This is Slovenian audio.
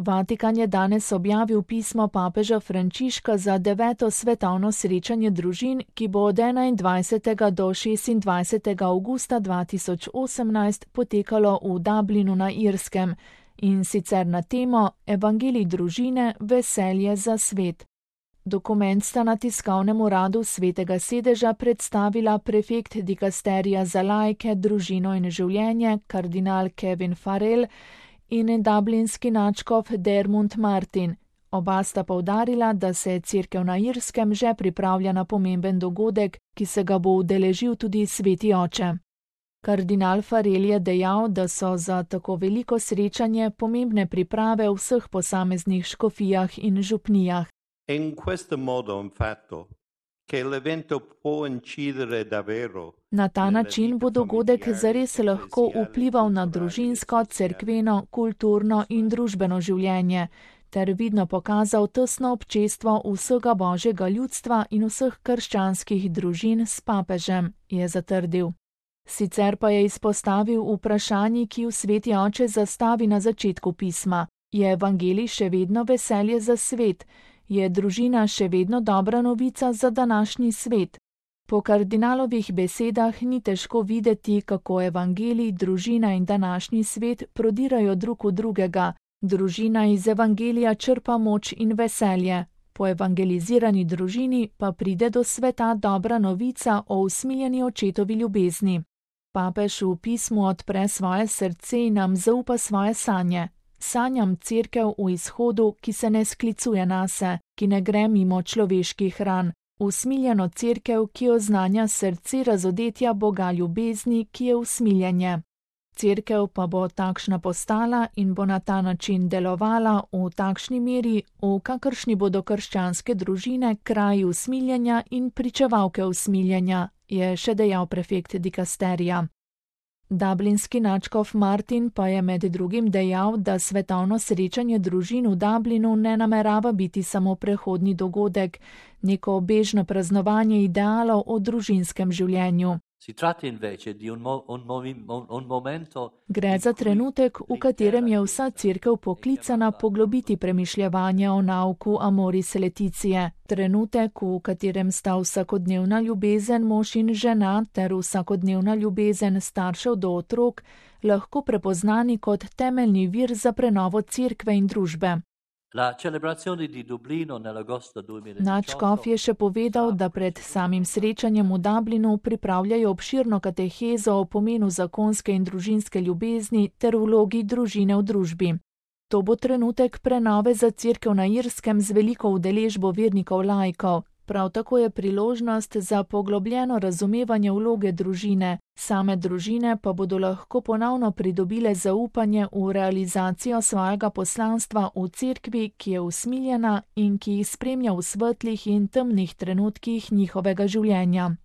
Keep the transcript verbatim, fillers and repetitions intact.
Vatikan je danes objavil pismo papeža Frančiška za deveto svetovno srečanje družin, ki bo od enaindvajsetega do šestindvajsetega avgusta dva tisoč osemnajst potekalo v Dublinu na Irskem, in sicer na temo Evangelij družine, veselje za svet. Dokument sta na tiskovnem uradu Svetega sedeža predstavila prefekt dikasterija za laike, družino in življenje, kardinal Kevin Farrell, in dublinski nadškof Dermot Martin. Oba sta poudarila, da se Cerkev na Irskem že pripravlja na pomemben dogodek, ki se ga bo udeležil tudi Sveti oče. Kardinal Farrell je dejal, da so za tako veliko srečanje pomembne priprave v vseh posameznih škofijah in župnijah. In questo modo, infatti, che l'evento può incidere davvero. Na ta način bo dogodek zares lahko vplival na družinsko, cerkveno, kulturno in družbeno življenje, ter vidno pokazal tesno občestvo vsega božjega ljudstva in vseh krščanskih družin s papežem, je zatrdil. Sicer pa je izpostavil vprašanje, ki v Sveti oče zastavi na začetku pisma. Je evangelij še vedno veselje za svet? Je družina še vedno dobra novica za današnji svet? Po kardinalovih besedah ni težko videti, kako evangelij, družina in današnji svet prodirajo drug v drugega. Družina iz evangelija črpa moč in veselje. Po evangelizirani družini pa pride do sveta dobra novica o usmiljeni očetovi ljubezni. Papež v pismu odpre svoje srce in nam zaupa svoje sanje. Sanjam cerkev v izhodu, ki se ne sklicuje nase, ki ne gre mimo človeških ran, usmiljeno cerkev, ki oznanja srce razodetja Boga ljubezni, ki je usmiljenje. Cerkev pa bo takšna postala in bo na ta način delovala v takšni meri, v kakršni bodo krščanske družine kraji usmiljenja in pričevalke usmiljenja, je še dejal prefekt dikasterija. Dublinski nadškof Martin pa je med drugim dejal, da svetovno srečanje družin v Dublinu ne namerava biti samo prehodni dogodek, neko bežno praznovanje idealov o družinskem življenju. Gre za trenutek, v katerem je vsa cerkev poklicana poglobiti premišljevanja o nauku Amoris Laetitia. Trenutek, v katerem sta vsakodnevna ljubezen mož in žena ter vsakodnevna ljubezen staršev do otrok lahko prepoznani kot temeljni vir za prenovo cerkve in družbe. Nadškof je še povedal, da pred samim srečanjem v Dublinu pripravljajo obširno katehezo o pomenu zakonske in družinske ljubezni ter vlogi družine v družbi. To bo trenutek prenove za Cerkev na Irskem z veliko udeležbo vernikov laikov. Prav tako je priložnost za poglobljeno razumevanje vloge družine. Same družine pa bodo lahko ponovno pridobile zaupanje v realizacijo svojega poslanstva v cerkvi, ki je usmiljena in ki jih spremlja v svetlih in temnih trenutkih njihovega življenja.